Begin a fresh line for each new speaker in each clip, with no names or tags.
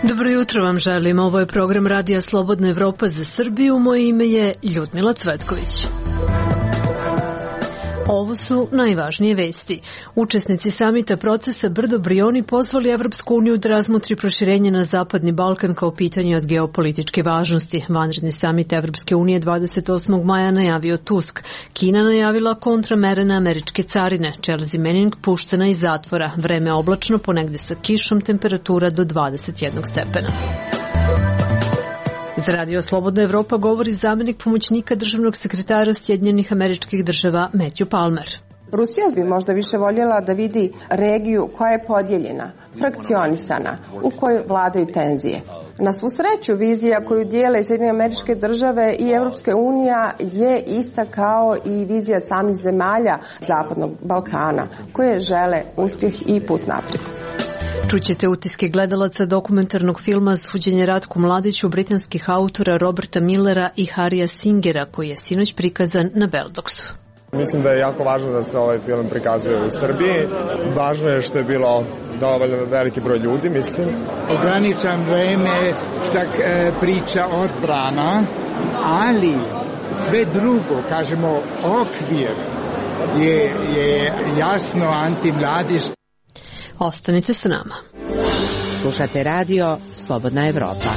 Dobro jutro vam želim. Ovo je program Radija Slobodna Evropa za Srbiju. Moje ime je Ljudmila Cvetković. Ovo su najvažnije vesti. Učesnici samita procesa Brdo-Brioni pozvali Evropsku uniju da razmotri proširenje na Zapadni Balkan kao pitanje od geopolitičke važnosti. Vanredni samit Evropske unije 28. maja najavio Tusk. Kina najavila kontramere na američke carine. Chelsea Manning puštena iz zatvora. Vreme oblačno, ponegde sa kišom, temperatura do 21 stepena. Za Radio Slobodna Evropa govori zamenik pomoćnika državnog sekretara Sjedinjenih Američkih Država Matthew Palmer.
Rusija bi možda više voljela da vidi regiju koja je podijeljena, frakcionisana, u kojoj vladaju tenzije. Na svu sreću, vizija koju dijele Sjedinjene Američke Države i Evropska unija je ista kao i vizija samih zemalja Zapadnog Balkana, koje žele uspjeh i put naprijed.
Čućete utiske gledalaca dokumentarnog filma Suđenje Ratku Mladiću britanskih autora Roberta Millera i Harrya Singera, koji je sinoć prikazan na Beldoksu.
Mislim da je jako važno da se ovaj film prikazuje u Srbiji. Važno je što je bilo dovoljno veliki broj ljudi, mislim.
Ograničan vreme šta priča odbrana, ali sve drugo, kažemo, okvir je jasno antimladiški.
Ostanite sa nama.
Slušate radio Slobodna Evropa.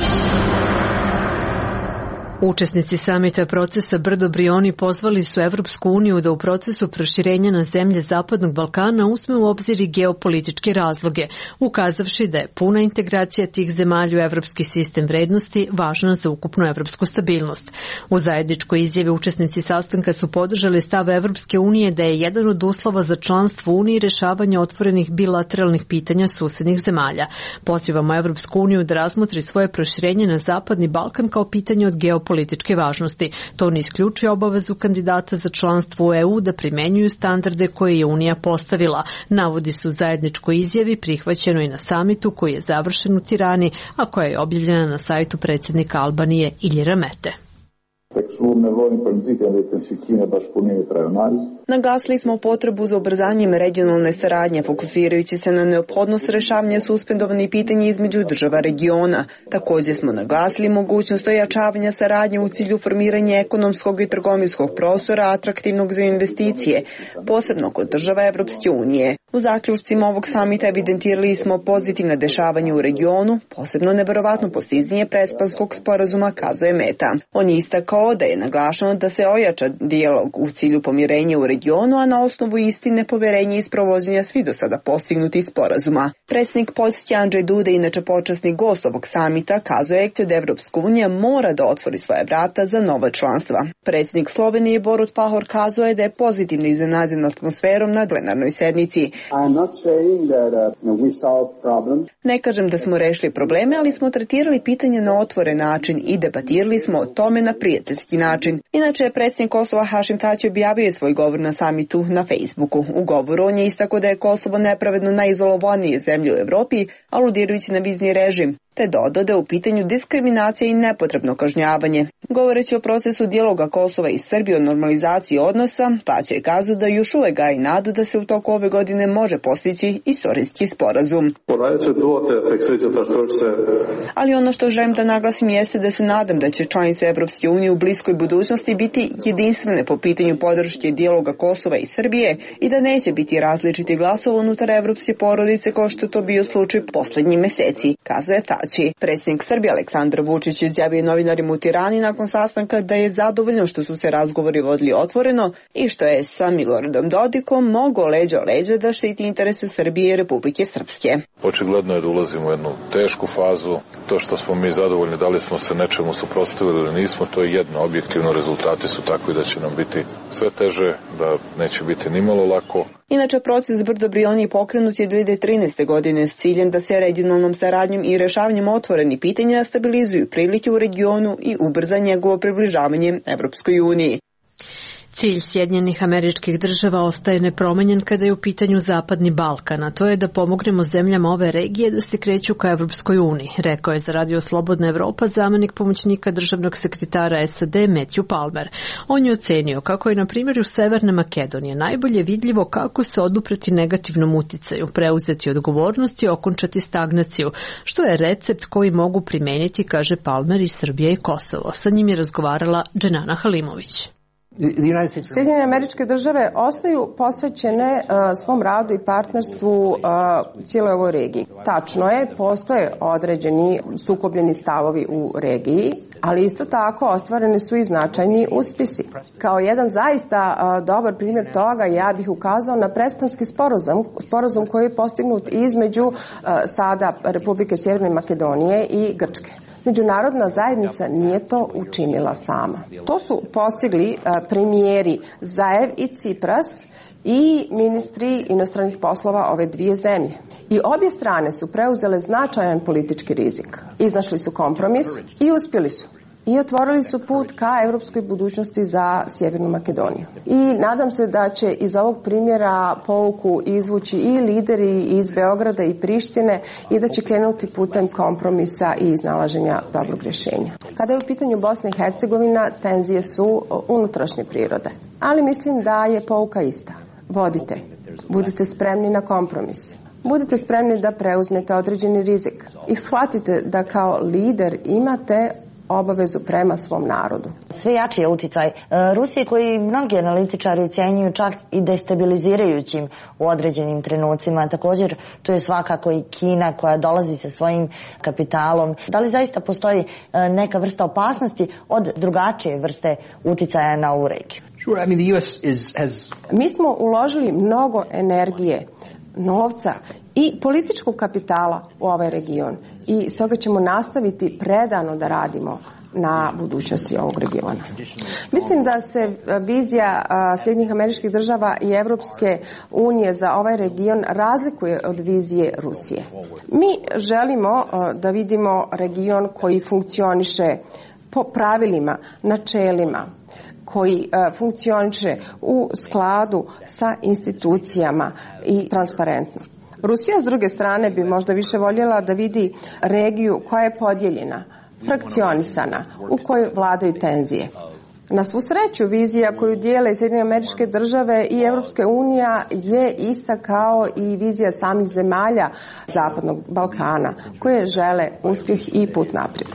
Učesnici samita procesa Brdo-Brioni pozvali su Evropsku uniju da u procesu proširenja na zemlje Zapadnog Balkana uzme u obzir i geopolitičke razloge, ukazavši da je puna integracija tih zemalja u evropski sistem vrednosti važna za ukupnu evropsku stabilnost. U zajedničkoj izjavi učesnici sastanka su podržali stav Evropske unije da je jedan od uslova za članstvo u Uniji rešavanje otvorenih bilateralnih pitanja susednih zemalja. Pozivamo Evropsku uniju da razmotri svoje proširenje na Zapadni Balkan kao pitanje od geopolitičke važnosti. To ne isključuje obavezu kandidata za članstvo u EU da primenjuju standarde koje je Unija postavila. Navodi se u zajedničkoj izjavi, prihvaćeno i na samitu koji je završen u Tirani, a koja je objavljena na sajtu predsjednika Albanije Iljira Mete.
Naglasili smo potrebu za ubrzanjem regionalne saradnje, fokusirajući se na neophodnost rešavanja suspendovanih pitanja između država regiona. Također smo naglasili mogućnost ojačavanja saradnje u cilju formiranja ekonomskog i trgovinskog prostora atraktivnog za investicije, posebno kod država Evropske unije. U zaključcima ovog samita evidentirali smo pozitivna dešavanja u regionu, posebno neverovatno postizanje Prespanskog sporazuma, kazuje Meta. On je istakao da je naglašeno da se ojača dijalog u cilju pomirenja u regionu, a na osnovu istine, poverenja i sprovođenja svih do sada postignutih sporazuma. Predsjednik Poljske Andrzej Duda, inače počasni gost ovog samita, kazuje da Evropska unija mora da otvori svoje vrata za nova članstva. Predsjednik Slovenije Borut Pahor kazuje da je pozitivno iznenađen atmosferom na plenarnoj sednici. Ne kažem da smo rešili probleme, ali smo tretirali pitanje na otvoren način i debatirali smo o tome na prijateljski način. Inače, predsjednik Kosova Hašim Tači objavio je svoj govor na samitu na Facebooku. U govoru on je istakao da je Kosovo nepravedno najizolovanije zemlje u Evropi, aludirajući na vizni režim, te dodao da je u pitanju diskriminacija i nepotrebno kažnjavanje. Govoreći o procesu dijaloga Kosova i Srbije o normalizaciji odnosa, Tači je kazao da još uvek gaji nadu da se u toku ove godine može postići istorijski sporazum. Ali ono što želim da naglasim jeste da se nadam da će članice Evropske unije u bliskoj budućnosti biti jedinstvene po pitanju podrške dijaloga Kosova i Srbije i da neće biti različiti glasova unutar evropske porodice kao što je to bio slučaj poslednjih meseci, kazuje Tači. Predsjednik Srbije Aleksandar Vučić izjavio novinarima u Tirani nakon sastanka da je zadovoljno što su se razgovori vodili otvoreno i što je sa Miloradom Dodikom mogao leđa o leđa da štiti interese Srbije i Republike Srpske.
Očigledno je da ulazimo u jednu tešku fazu. To što smo mi zadovoljni, da li smo se nečemu suprotstavili ili nismo, to je jedno. Objektivno rezultati su takvi da će nam biti sve teže, da neće biti nimalo lako.
Inače, proces Brdo-Brioni pokrenut je 2013. godine s ciljem da se regionalnom saradnjom i rešavanjem otvorenih pitanja stabilizuju prilike u regionu i ubrza njegovo približavanje Evropskoj uniji.
Cilj Sjedinjenih Američkih Država ostaje nepromenjen kada je u pitanju Zapadni Balkan, a to je da pomognemo zemljama ove regije da se kreću ka Evropskoj uniji, rekao je za Radio Slobodna Evropa zamenik pomoćnika državnog sekretara SAD Matthew Palmer. On je ocenio kako je na primjeru Severne Makedonije najbolje vidljivo kako se odupreti negativnom uticaju, preuzeti odgovornost i okončati stagnaciju, što je recept koji mogu primeniti, kaže Palmer, i Srbija i Kosovo. Sa njim je razgovarala Dženana Halimović.
Sjedinjene Američke Države ostaju posvećene svom radu i partnerstvu cijeloj ovoj regiji. Tačno je, postoje određeni sukobljeni stavovi u regiji, ali isto tako ostvareni su i značajni uspjesi. Kao jedan zaista dobar primjer toga ja bih ukazao na Prespanski sporazum koji je postignut između sada Republike Sjeverne Makedonije i Grčke. Međunarodna zajednica nije to učinila sama. To su postigli premijeri Zaev i Cipras i ministri inostranih poslova ove dvije zemlje. I obje strane su preuzele značajan politički rizik. Iznašli su kompromis i uspjeli su. I otvorili su put ka evropskoj budućnosti za Sjevernu Makedoniju. I nadam se da će iz ovog primjera pouku izvući i lideri iz Beograda i Prištine i da će krenuti putem kompromisa i iznalaženja dobrog rješenja. Kada je u pitanju Bosna i Hercegovina, tenzije su unutrašnje prirode. Ali mislim da je pouka ista. Vodite. Budite spremni na kompromis. Budite spremni da preuzmete određeni rizik. I shvatite da kao lider imate obavezu prema svom narodu.
Sve jači je uticaj Rusije koji mnogi analitičari ocjenjuju čak i destabilizirajućim u određenim trenucima. Također tu je svakako i Kina koja dolazi sa svojim kapitalom. Da li zaista postoji neka vrsta opasnosti od drugačije vrste uticaja na ovu regiju?
Mi smo uložili mnogo energije, novca i političkog kapitala u ovaj region i stoga ćemo nastaviti predano da radimo na budućnosti ovog regiona. Mislim da se vizija Sjedinjenih Američkih Država i Evropske unije za ovaj region razlikuje od vizije Rusije. Mi želimo da vidimo region koji funkcioniše po pravilima, načelima, koji funkcioniše u skladu sa institucijama i transparentno. Rusija, s druge strane, bi možda više voljela da vidi regiju koja je podijeljena, frakcionisana, u kojoj vladaju tenzije. Na svu sreću, vizija koju dijele Sjedinjene Američke Države i Evropska unija je ista kao i vizija samih zemalja Zapadnog Balkana, koje žele uspjeh i put naprijed.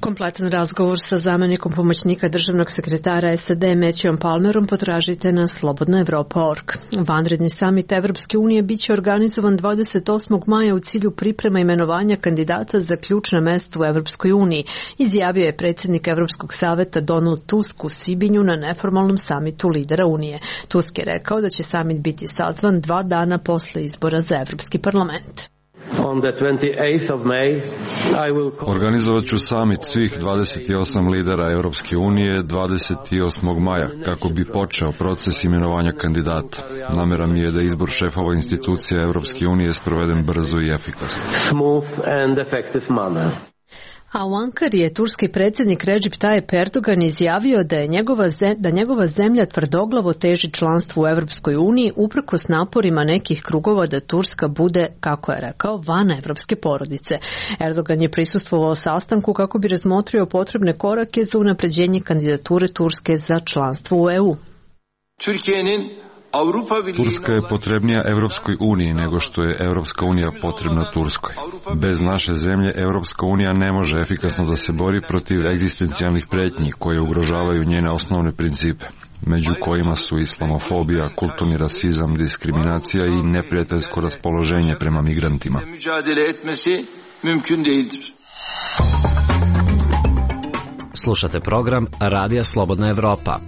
Kompletan razgovor sa zamenikom pomoćnika državnog sekretara SAD Matthewom Palmerom potražite na slobodnaevropa.org. Vanredni samit Evropske unije biće organizovan 28. maja u cilju priprema imenovanja kandidata za ključna mesta u Evropskoj uniji, izjavio je predsjednik Evropskog saveta Donald Tusk u Sibinju na neformalnom samitu lidera Unije. Tusk je rekao da će samit biti sazvan 2 dana posle izbora za Evropski parlament.
Organizovat ću samit svih 28 lidera Europske unije 28. maja kako bi počeo proces imenovanja kandidata. Namera mi je da izbor šefova institucija Europske unije sproveden brzo i efikasno.
A u Ankari je turski predsjednik Recep Tayyip Erdogan izjavio da njegova zemlja tvrdoglavo teži članstvu u Evropskoj uniji uprkos naporima nekih krugova da Turska bude, kako je rekao, van evropske porodice. Erdogan je prisustvovao sastanku kako bi razmotrio potrebne korake za unapređenje kandidature Turske za članstvo u EU.
Turska je potrebnija Evropskoj uniji nego što je Evropska unija potrebna Turskoj. Bez naše zemlje Evropska unija ne može efikasno da se bori protiv egzistencijalnih pretnji koje ugrožavaju njene osnovne principe, među kojima su islamofobija, kulturni rasizam, diskriminacija i neprijateljsko raspoloženje prema migrantima.
Slušate program Radija Slobodna Evropa.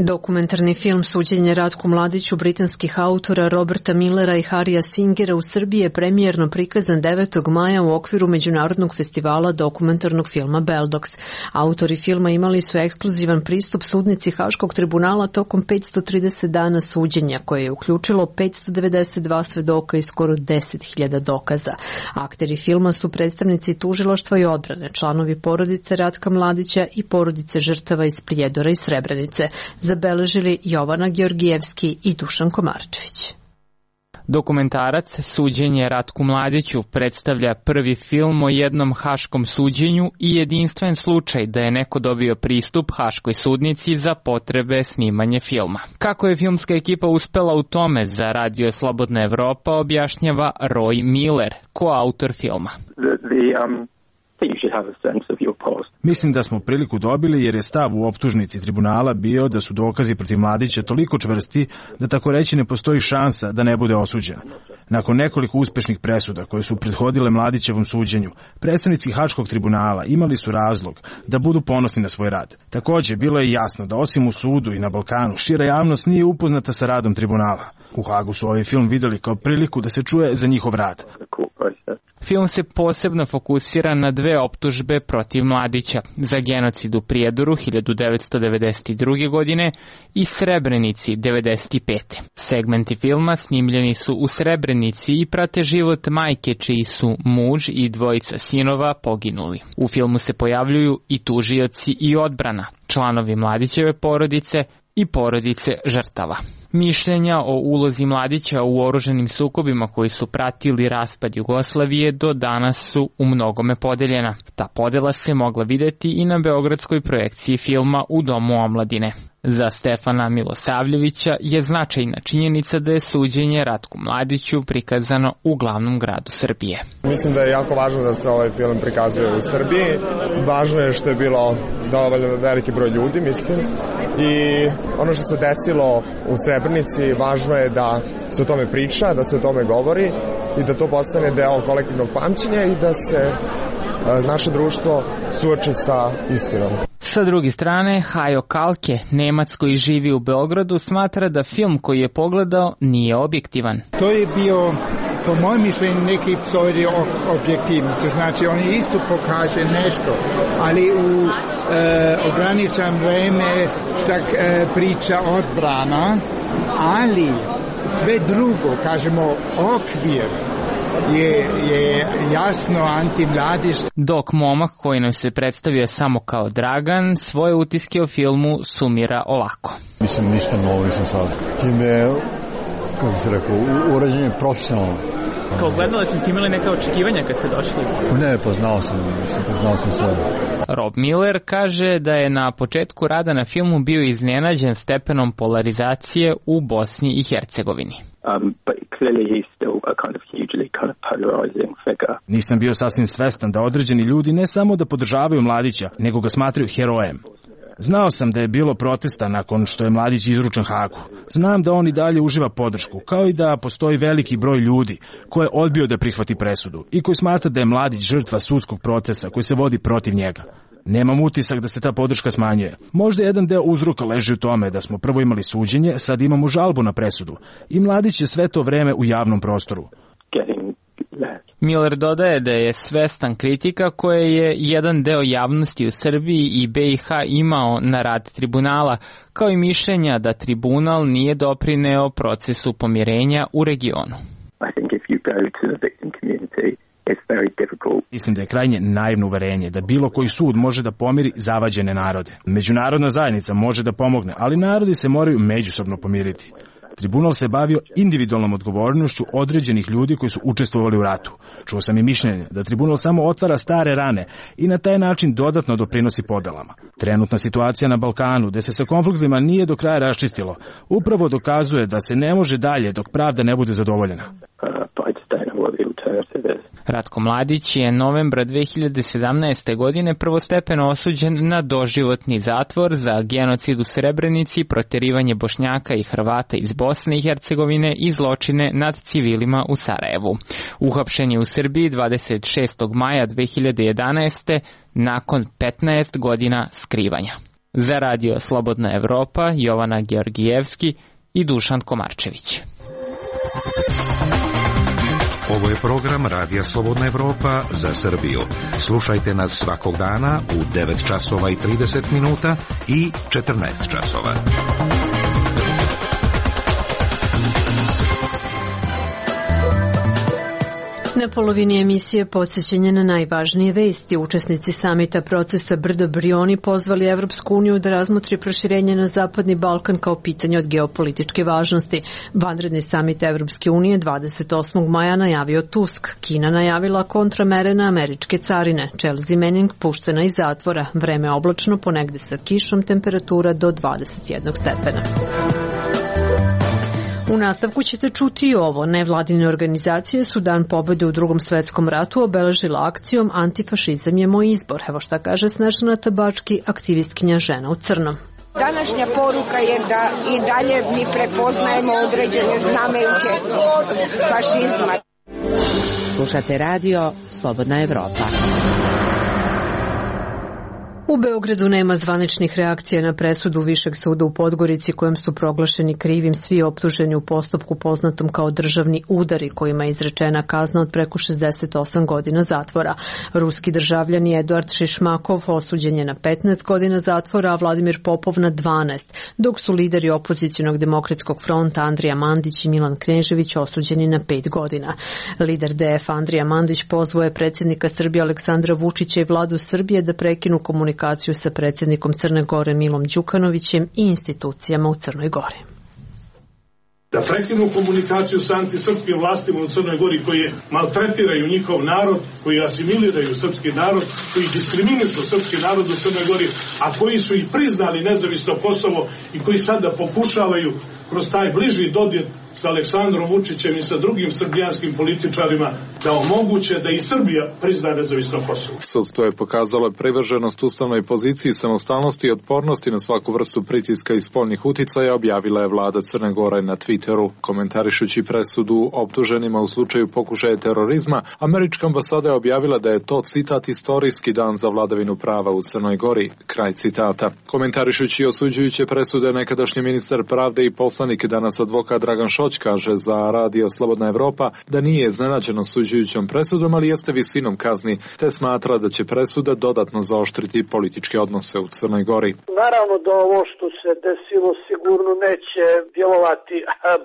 Dokumentarni film Suđenje Ratku Mladiću britanskih autora Roberta Millera i Harrya Singera u Srbiji je premijerno prikazan 9. maja u okviru Međunarodnog festivala dokumentarnog filma Beldox. Autori filma imali su ekskluzivan pristup sudnici Haškog tribunala tokom 530 dana suđenja, koje je uključilo 592 svedoka i skoro 10.000 dokaza. Akteri filma su predstavnici tužilaštva i odbrane, članovi porodice Ratka Mladića i porodice žrtava iz Prijedora i Srebrenice, zabeležili Jovana Georgijevski i Dušan Komarčević.
Dokumentarac Suđenje Ratku Mladiću predstavlja prvi film o jednom haškom suđenju i jedinstven slučaj da je neko dobio pristup haškoj sudnici za potrebe snimanja filma. Kako je filmska ekipa uspela u tome, za Radio Slobodna Evropa objašnjava Roy Miller, koautor filma.
Mislim da smo priliku dobili jer je stav u optužnici tribunala bio da su dokazi protiv Mladića toliko čvrsti da tako reći ne postoji šansa da ne bude osuđen. Nakon nekoliko uspešnih presuda koje su prethodile Mladićevom suđenju, predstavnici Haškog tribunala imali su razlog da budu ponosni na svoj rad. Takođe, bilo je jasno da osim u sudu i na Balkanu, šira javnost nije upoznata sa radom tribunala. U Hagu su ovaj film videli kao priliku da se čuje za njihov rad.
Film se posebno fokusira na dve optužbe protiv Mladića, za genocid u Prijedoru 1992. godine i Srebrenici 1995. Segmenti filma snimljeni su u Srebrenici i prate život majke čiji su muž i dvojica sinova poginuli. U filmu se pojavljuju i tužioci i odbrana, članovi Mladićeve porodice i porodice žrtava. Mišljenja o ulozi Mladića u oružanim sukobima koji su pratili raspad Jugoslavije do danas su u mnogome podeljena. Ta podela se mogla videti i na beogradskoj projekciji filma U domu omladine. Za Stefana Milosavljevića je značajna činjenica da je suđenje Ratku Mladiću prikazano u glavnom gradu Srbije.
Mislim da je jako važno da se ovaj film prikazuje u Srbiji. Važno je što je bilo dovoljno veliki broj ljudi, mislim. I ono što se desilo u Srebrenici, važno je da se o tome priča, da se o tome govori i da to postane deo kolektivnog pamćenja i da se naše društvo suoči sa istinom.
Sa druge strane, Hajo Kalke, Nemac koji živi u Beogradu, smatra da film koji je pogledao nije objektivan.
To je bio, po mojem mišljenju, neki pseudo objektivnosti. Znači, on isto pokaže nešto, ali u ograničeno vreme štak priča odbrana, ali sve drugo, kažemo, okvir je jasno antimladić.
Dok momak koji nam se predstavio samo kao Dragan, svoje utiske o filmu sumira ovako.
Mislim, ništa novo nisam sad. Time, kako se rekao, urađen je profesionalno.
Kao gledala ste imali neka očekivanja kad ste došli?
Ne, poznao sam sve.
Rob Miller kaže da je na početku rada na filmu bio iznenađen stepenom polarizacije u Bosni i Hercegovini.
Nisam bio sasvim svestan da određeni ljudi ne samo da podržavaju Mladića, nego ga smatraju herojem. Znao sam da je bilo protesta nakon što je Mladić izručen Hagu. Znam da on i dalje uživa podršku, kao i da postoji veliki broj ljudi koji je odbio da prihvati presudu i koji smatra da je Mladić žrtva sudskog procesa koji se vodi protiv njega. Nemam utisak da se ta podrška smanjuje. Možda jedan deo uzroka leži u tome da smo prvo imali suđenje, sad imamo žalbu na presudu i Mladić je sve to vreme u javnom prostoru.
Miller dodaje da je svestan kritika koje je jedan deo javnosti u Srbiji i BiH imao na rad tribunala, kao i mišljenja da tribunal nije doprineo procesu pomirenja u regionu.
Mislim da je krajnje naivno uverenje da bilo koji sud može da pomiri zavađene narode. Međunarodna zajednica može da pomogne, ali narodi se moraju međusobno pomiriti. Tribunal se bavio individualnom odgovornošću određenih ljudi koji su učestvovali u ratu. Čuo sam i mišljenje da tribunal samo otvara stare rane i na taj način dodatno doprinosi podelama. Trenutna situacija na Balkanu, gde se sa konfliktima nije do kraja raščistilo, upravo dokazuje da se ne može dalje dok pravda ne bude zadovoljena.
Ratko Mladić je novembra 2017. godine prvostepeno osuđen na doživotni zatvor za genocid u Srebrenici, proterivanje Bošnjaka i Hrvata iz Bosne i Hercegovine i zločine nad civilima u Sarajevu. Uhapšen je u Srbiji 26. maja 2011. nakon 15 godina skrivanja. Za radio Slobodna Evropa, Jovana Georgijevski i Dušan Komarčević.
Ovo je program Radija Slobodna Evropa za Srbiju. Slušajte nas svakog dana u 9 časova i 30 minuta i 14 časova.
Na polovini emisije podsjećanje na najvažnije vesti. Učesnici samita procesa Brdo-Brioni pozvali Evropsku uniju da razmotri proširenje na Zapadni Balkan kao pitanje od geopolitičke važnosti. Vanredni samit Evropske unije 28. maja najavio Tusk. Kina najavila kontramere na američke carine. Chelsea Manning puštena iz zatvora. Vreme oblačno, ponegde sa kišom, temperatura do 21 stepena. U nastavku ćete čuti i ovo. Nevladine organizacije su Dan pobede u Drugom svetskom ratu obeležila akcijom Antifašizam je moj izbor. Evo šta kaže Snežana Tabački, aktivistkinja Žena u crnom.
Današnja poruka je da i dalje mi prepoznajemo određene znamenke fašizma.
Slušate radio Slobodna Evropa.
U Beogradu nema zvaničnih reakcija na presudu Višeg suda u Podgorici kojom su proglašeni krivim svi optuženi u postupku poznatom kao državni udari kojima je izrečena kazna od preko 68 godina zatvora. Ruski državljani Eduard Šišmakov osuđen je na 15 godina zatvora, a Vladimir Popov na 12, dok su lideri opozicionog demokratskog fronta Andrija Mandić i Milan Knežević osuđeni na 5 godina. Lider DF Andrija Mandić pozvao je predsjednika Srbije Aleksandra Vučića i vladu Srbije da prekinu komunikaciju sa predsjednikom Crne Gore Milom Đukanovićem i institucijama u Crnoj Gori.
Da prekinu komunikaciju sa antisrpskim vlastima u Crnoj Gori koji maltretiraju njihov narod, koji asimiliraju srpski narod, koji diskriminišu srpski narod u Crnoj Gori, a koji su i priznali nezavisno Kosovo i koji sada pokušavaju kroz taj bliži dodir sa Aleksandrom Vučićem i sa drugim srbijanskim političarima da omoguće da i Srbija prizna nezavisno Kosovo.
Sudstvo je pokazalo privrženost ustavnoj poziciji samostalnosti i otpornosti na svaku vrstu pritiska i spoljnih uticaja, objavila je vlada Crne Gore na Twitteru. Komentarišući presudu optuženima u slučaju pokušaja terorizma, američka ambasada je objavila da je to, citat, istorijski dan za vladavinu prava u Crnoj Gori. Kraj citata. Komentarišući osuđujuće presude, nekadašnji ministar pravde i poslanik, danas advokat Dragan Šoć, kaže za radio Slobodna Evropa da nije iznenađen osuđujućom presudom, ali jeste visinom kazni, te smatra da će presuda dodatno zaoštriti političke odnose u Crnoj Gori.
Naravno da ovo što se desilo sigurno neće djelovati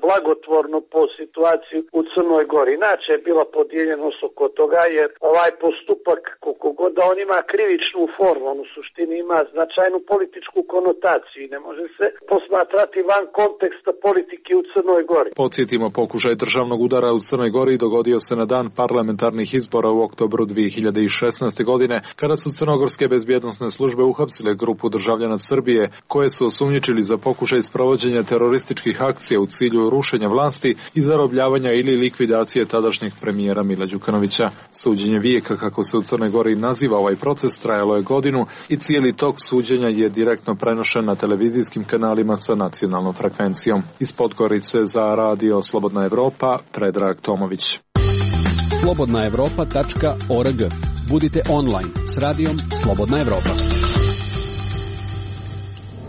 blagotvorno po situaciji u Crnoj Gori. Inače je bila podijeljenost oko toga, jer ovaj postupak, koliko god da on ima krivičnu formu, on u suštini ima značajnu političku konotaciju i ne može se posmatrati van konteksta politike u Crnoj Gori.
Podsjetimo, pokušaj državnog udara u Crnoj Gori dogodio se na dan parlamentarnih izbora u oktobru 2016. godine, kada su crnogorske bezbjednosne službe uhapsile grupu državljana Srbije, koje su osumnjičili za pokušaj sprovođenja terorističkih akcija u cilju rušenja vlasti i zarobljavanja ili likvidacije tadašnjeg premijera Mila Đukanovića. Suđenje vijeka, kako se u Crnoj Gori naziva ovaj proces, trajalo je godinu i cijeli tok suđenja je direktno prenošen na televizijskim kanalima sa nacionalnom frekvencijom. Iz Podgorice za radio Slobodna Evropa, Predrag Tomović.
slobodnaevropa.org. Budite online s radijom Slobodna Evropa.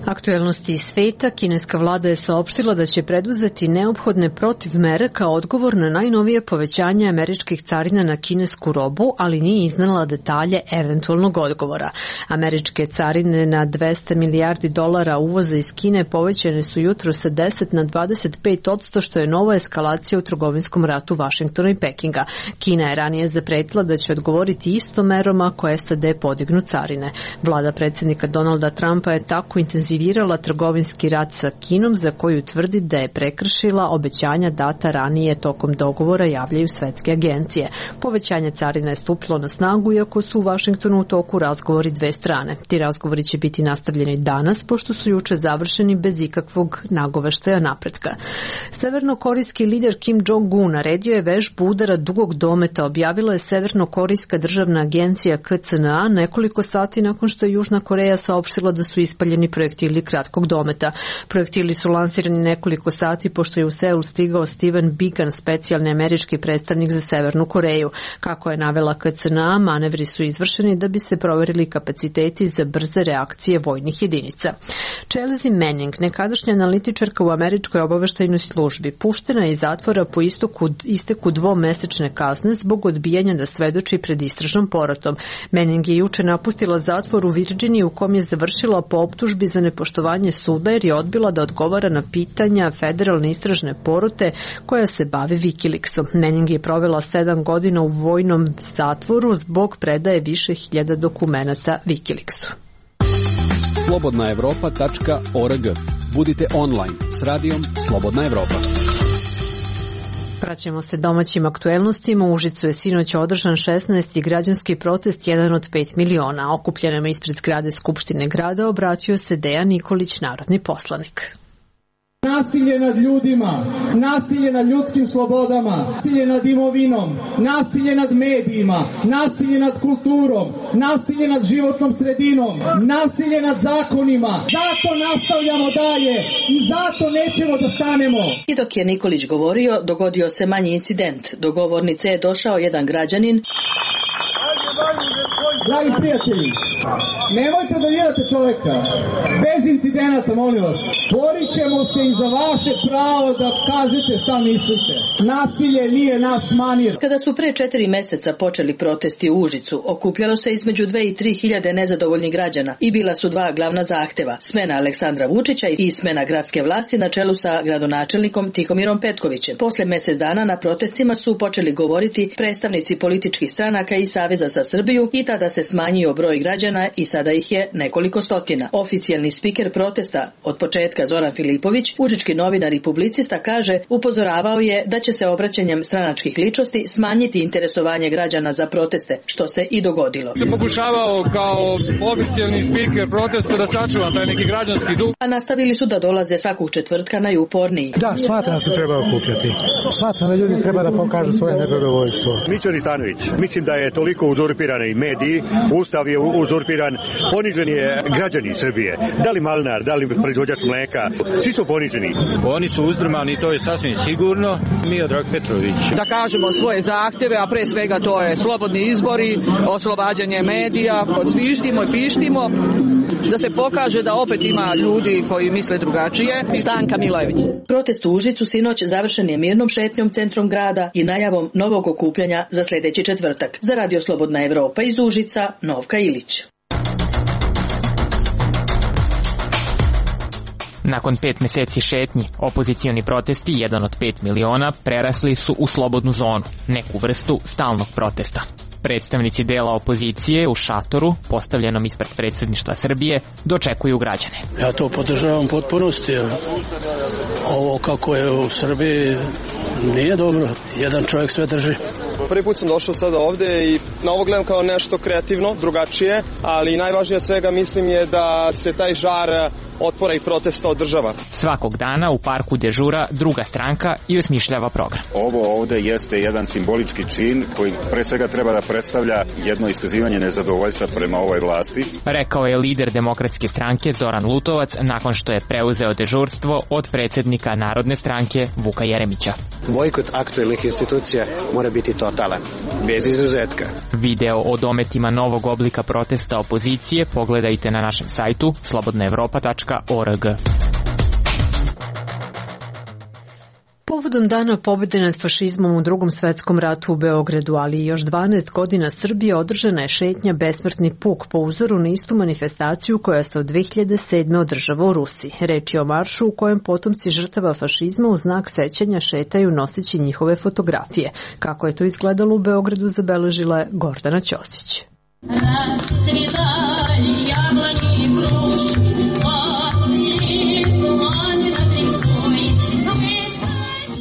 Aktuelnosti iz sveta, kineska vlada je saopštila da će preduzeti neophodne protivmere kao odgovor na najnovije povećanje američkih carina na kinesku robu, ali nije iznala detalje eventualnog odgovora. Američke carine na 200 milijardi dolara uvoza iz Kine povećane su jutro sa 10 na 25%, što je nova eskalacija u trgovinskom ratu Vašingtona i Pekinga. Kina je ranije zapretila da će odgovoriti istom merom ako SAD podignu carine. Vlada predsjednika Donalda Trumpa je tako intenzivirala trgovinski rat sa Kinom, za koju tvrdi da je prekršila obećanja data ranije tokom dogovora, javljaju svetske agencije. Povećanje carina je stupilo na snagu, iako su u Vašingtonu u toku razgovori dve strane. Ti razgovori će biti nastavljeni danas, pošto su juče završeni bez ikakvog nagoveštaja napretka. Severnokorejski lider Kim Jong-un naredio je vežbu udara dugog dometa, objavila je Severnokorejska državna agencija KCNA nekoliko sati nakon što je Južna Koreja saopštila da su ispaljeni projektili projektili kratkog dometa. Projektili su lansirani nekoliko sati pošto je u Seul stigao Steven Biegun, specijalni američki predstavnik za Severnu Koreju. Kako je navela KCNA, manevri su izvršeni da bi se proverili kapaciteti za brze reakcije vojnih jedinica. Chelsea Manning, nekadašnja analitičarka u američkoj obaveštajnoj službi, puštena je iz zatvora po isteku dvomesečne kazne zbog odbijanja da svedoči pred istražnom porotom. Manning je juče napustila zatvor u Virginiji u kom je završila po optužbi za nepoštovanje suda jer je odbila da odgovara na pitanja federalne istražne porote koja se bavi Wikileaksom. Manning je provela 7 godina u vojnom zatvoru zbog predaje više hiljada dokumenata Wikileaksu.
slobodnaevropa.org. Budite online s radijom Slobodna Evropa.
Vraćamo se domaćim aktuelnostima. U Užicu je sinoć održan 16. građanski protest, jedan od 5 miliona. Okupljenima ispred zgrade Skupštine grada obratio se Dejan Nikolić, narodni poslanik.
Nasilje nad ljudima, nasilje nad ljudskim slobodama, nasilje nad imovinom, nasilje nad medijima, nasilje nad kulturom, nasilje nad životnom sredinom, nasilje nad zakonima. Zato nastavljamo dalje i zato nećemo da stanemo.
I dok je Nikolić govorio, dogodio se manji incident. Do govornice je došao jedan građanin.
Dragi prijatelji, nemojte da dirate čoveka. Bez incidenata, molim vas. Borit ćemo se i za vaše pravo da kažete šta mislite. Nasilje nije naš manir.
Kada su pre 4 meseca počeli protesti u Užicu, okupljalo se između 2 i 3 hiljade nezadovoljnih građana i bila su dva glavna zahteva. Smena Aleksandra Vučića i smena gradske vlasti na čelu sa gradonačelnikom Tihomirom Petkovićem. Posle mesec dana na protestima su počeli govoriti predstavnici političkih stranaka i Saveza za Srbiju i tada se smanjio broj građana i sada ih je nekoliko stotina. Oficijalni spiker protesta od početka Zoran Filipović, užički novinar i publicista, kaže, upozoravao je da će se obraćanjem stranačkih ličnosti smanjiti interesovanje građana za proteste, što se i dogodilo.
Se pokušavao kao oficijalni spiker protesta da sačuva taj neki građanski duh.
A nastavili su da dolaze svakog četvrtka najuporniji.
Da, smatram da se treba okupljati. Smatram da ljudi treba da pokažu svoje nezadovoljstvo.
Mićo Ristanović, mislim da je toliko uzurpirani mediji, Ustav je uzurpiran, ponižen je građani Srbije. Da li malnar, da li proizvođač mleka, svi su poniženi.
Oni su uzdrmani, to je sasvim sigurno. Miodrag Petrović.
Da kažemo svoje zahteve, a pre svega to je slobodni izbori, oslobađanje medija, zviždimo i pištimo, da se pokaže da opet ima ljudi koji misle drugačije. Stanka Milojević.
Protest u Užicu sinoć završen je mirnom šetnjom centrom grada i najavom novog okupljanja za sljedeći četvrtak. Za Radio Slobodna Evropa iz Užica, Novka Ilić.
Nakon 5 meseci šetnji, opozicioni protesti, jedan od 5 miliona, prerasli su u slobodnu zonu, neku vrstu stalnog protesta. Predstavnici dela opozicije u šatoru, postavljenom ispred predsjedništva Srbije, dočekuju građane.
Ja to podržavam potpunosti. Ovo kako je u Srbiji nije dobro. Jedan čovjek sve drži.
Prvi put sam došao sada ovde i na ovo gledam kao nešto kreativno, drugačije, ali najvažnije od svega mislim je da se taj žar otpora i protesta održava.
Svakog dana u parku dežura druga stranka i osmišljava program.
Ovo ovde jeste jedan simbolički čin koji pre svega treba da predstavlja jedno iskazivanje nezadovoljstva prema ovoj vlasti.
Rekao je lider Demokratske stranke Zoran Lutovac nakon što je preuzeo dežurstvo od predsjednika Narodne stranke Vuka Jeremića.
Bojkot aktuelnih institucija mora biti totalan, bez izuzetka.
Video o dometima novog oblika protesta opozicije pogledajte na našem sajtu slobodnaevropa.org.
Povodom Dana pobjede nad fašizmom u Drugom svetskom ratu u Beogradu, ali i još 12 godina Srbije, održana je šetnja Besmrtni puk po uzoru na istu manifestaciju koja se od 2007. održava u Rusiji. Reč je o maršu u kojem potomci žrtava fašizma u znak sećanja šetaju noseći njihove fotografije. Kako je to izgledalo u Beogradu, zabeležila je Gordana Ćosić.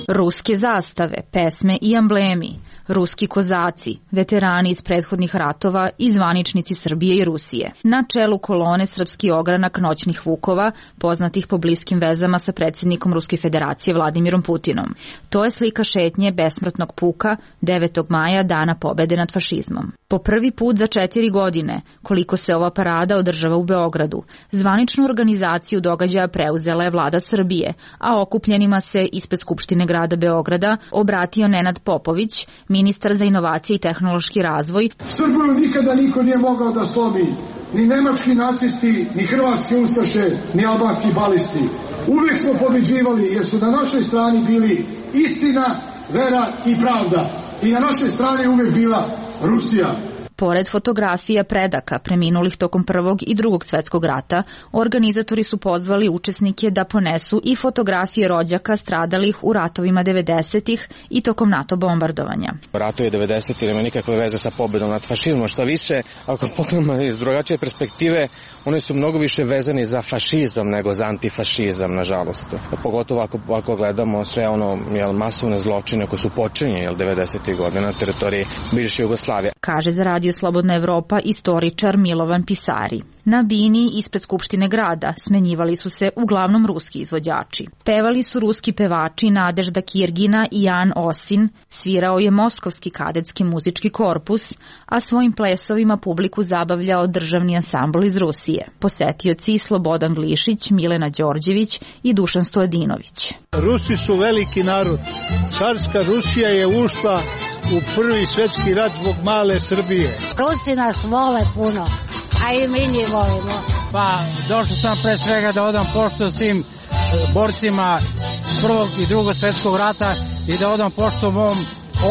Ruske zastave, pesme i amblemi,
ruski kozaci, veterani iz prethodnih ratova i zvaničnici Srbije i Rusije. Na čelu kolone srpski ogranak noćnih vukova, poznatih po bliskim vezama sa predsjednikom Ruske federacije Vladimirom Putinom. To je slika šetnje besmrtnog puka 9. maja, dana pobede nad fašizmom. Po prvi put za 4 godine, koliko se ova parada održava u Beogradu, zvaničnu organizaciju događaja preuzela je vlada Srbije, a okupljenima se ispred Skupštine grada Beograda obratio Nenad Popović, ministar za inovacije i tehnološki razvoj.
Srbiju nikada niko nije mogao da slomi, ni nemački nacisti, ni hrvatski ustaše, ni albanski balisti. Uvijek smo pobeđivali jer su na našoj strani bili istina, vera i pravda. I na našoj strani uvijek bila Rusija.
Pored fotografija predaka preminulih tokom Prvog i Drugog svetskog rata, organizatori su pozvali učesnike da ponesu i fotografije rođaka stradalih u ratovima 90-ih i tokom NATO bombardovanja.
Ratovi 90-ih nema nikakve veze sa pobedom nad fašizmom, šta više, ako pogledamo iz drugačije perspektive, oni su mnogo više vezani za fašizam nego za antifašizam, nažalost. Pogotovo ako gledamo sve masovne zločine koje su počinjene 90-ih godina na teritoriji bivše Jugoslavije.
Kaže za Radio Slobodna Evropa istoričar Milovan Pisari. Na bini ispred Skupštine grada smenjivali su se uglavnom ruski izvođači. Pevali su ruski pevači Nadežda Kirgina i Jan Osin, svirao je Moskovski kadetski muzički korpus, a svojim plesovima publiku zabavljao državni ansambl iz Rusije. Posetioci Slobodan Glišić, Milena Đorđević i Dušan Stojadinović.
Rusi su veliki narod. Carska Rusija je ušla u Prvi svjetski rat zbog male Srbije.
Rusi nas vole puno, a i mi njih volimo.
Pa, došao sam pre svega da odam poštu svim borcima Prvog i Drugog svjetskog rata i da odam poštu mom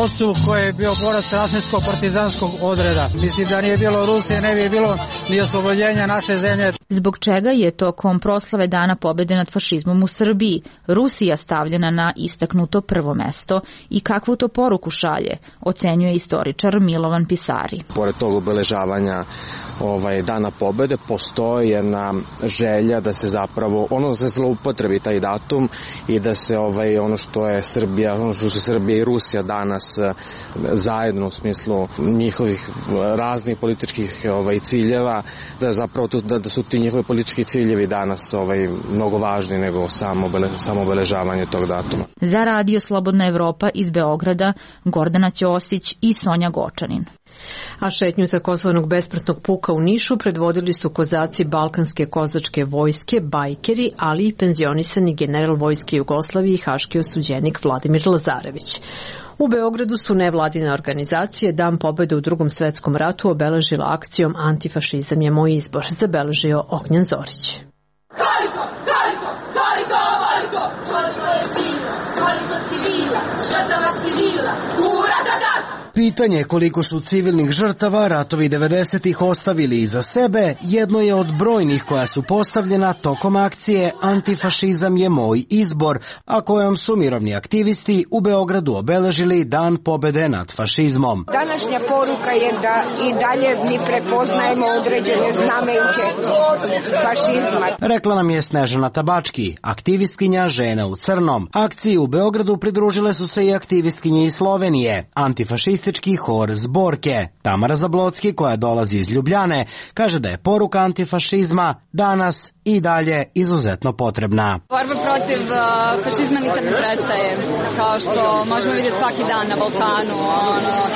ocu koji je bio borac rasničko-partizanskog odreda. Mislim da nije bilo Rusije, ne bi bilo ni oslobođenja naše zemlje.
Zbog čega je tokom proslave Dana pobede nad fašizmom u Srbiji Rusija stavljena na istaknuto prvo mesto i kakvu to poruku šalje, ocenjuje istoričar Milovan Pisari.
Pored tog obeležavanja Dana pobede postoji jedna želja da se zapravo se zloupotrebi taj datum i da se ono što je Srbija, ono što su Srbija i Rusija danas zajedno u smislu njihovih raznih političkih ciljeva, da zapravo da su ti njihovi politički ciljevi danas mnogo važni nego samo obeležavanje tog datuma.
Za Radio Slobodna Evropa iz Beograda Gordana Ćosić i Sonja Gočanin.
A šetnju takozvanog besmrtnog puka u Nišu predvodili su kozaci Balkanske kozačke vojske, bajkeri, ali i penzionisani general vojske Jugoslavije i haški osuđenik Vladimir Lazarević. U Beogradu su nevladine organizacije Dan pobede u Drugom svetskom ratu obeležila akcijom Antifašizam je moj izbor, zabeležio Ognjen Zorić.
Pitanje koliko su civilnih žrtava ratovi 90-ih ostavili iza sebe jedno je od brojnih koja su postavljena tokom akcije Antifašizam je moj izbor, a kojom su mirovni aktivisti u Beogradu obeležili Dan pobede nad fašizmom.
Današnja poruka je da i dalje mi prepoznajemo određene znamenke fašizma.
Rekla nam je Snežana Tabački, aktivistkinja Žena u crnom. Akciji u Beogradu pridružile su se i aktivistkinje iz Slovenije, antifašistički hor Zborke. Tamara Zablocki, koja dolazi iz Ljubljane, kaže da je poruka antifašizma danas i dalje izuzetno potrebna.
Borba protiv fašizma nikad ne prestaje, kao što možemo vidjeti svaki dan na Balkanu,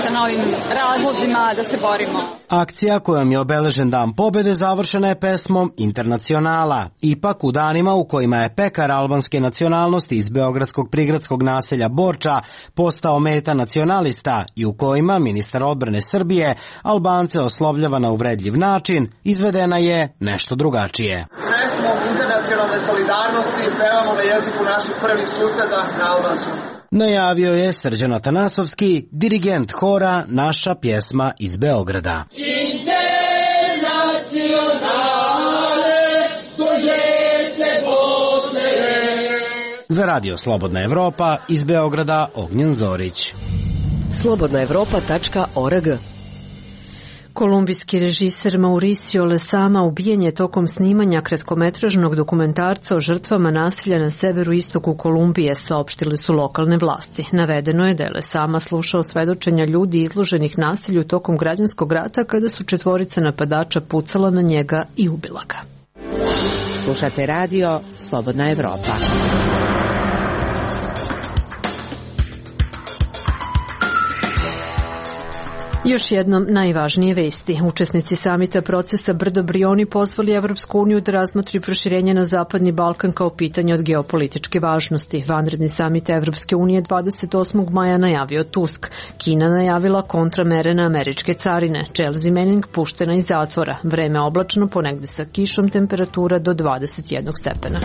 sa novim razlozima da se borimo.
Akcija kojom je obeležen Dan pobede završena je pesmom Internacionala. Ipak u danima u kojima je pekar albanske nacionalnosti iz beogradskog prigradskog naselja Borča postao meta nacionalista i u kojima ministar odbrane Srbije Albance oslovljava na uvredljiv način, izvedena je nešto drugačije.
Pesmom internacionalne solidarnosti pevamo na jeziku naših prvih suseda na albanskom.
Najavio je Srđan Atanasovski, dirigent hora Naša pjesma iz Beograda. Za Radio Slobodna Evropa iz Beograda Ognjen Zorić.
slobodnaevropa.org.
Kolumbijski režiser Mauricio Lezama ubijen je tokom snimanja kratkometražnog dokumentarca o žrtvama nasilja na severu istoku Kolumbije, saopštile su lokalne vlasti. Navedeno je da je Lezama slušao svedočenja ljudi izloženih nasilju tokom građanskog rata kada su 4 napadača pucala na njega i ubila ga.
Slušate radio Slobodna Evropa.
Još jednom najvažnije vesti. Učesnici samita procesa Brdo-Brioni pozvali Evropsku uniju da razmotri proširenje na Zapadni Balkan kao pitanje od geopolitičke važnosti. Vanredni samit Evropske unije 28. maja najavio Tusk. Kina najavila kontramere na američke carine. Chelsea Manning puštena iz zatvora. Vreme oblačno, ponegde sa kišom, temperatura do 21 stepena.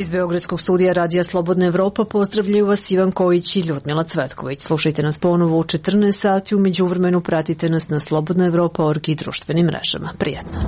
Iz Beogradskog studija Radija Slobodna Evropa pozdravljaju vas Ivan Kojić i Ljudmila Cvetković. Slušajte nas ponovo u 14 sati, u međuvremenu pratite nas na slobodnaevropa.org i društvenim mrežama. Prijatno.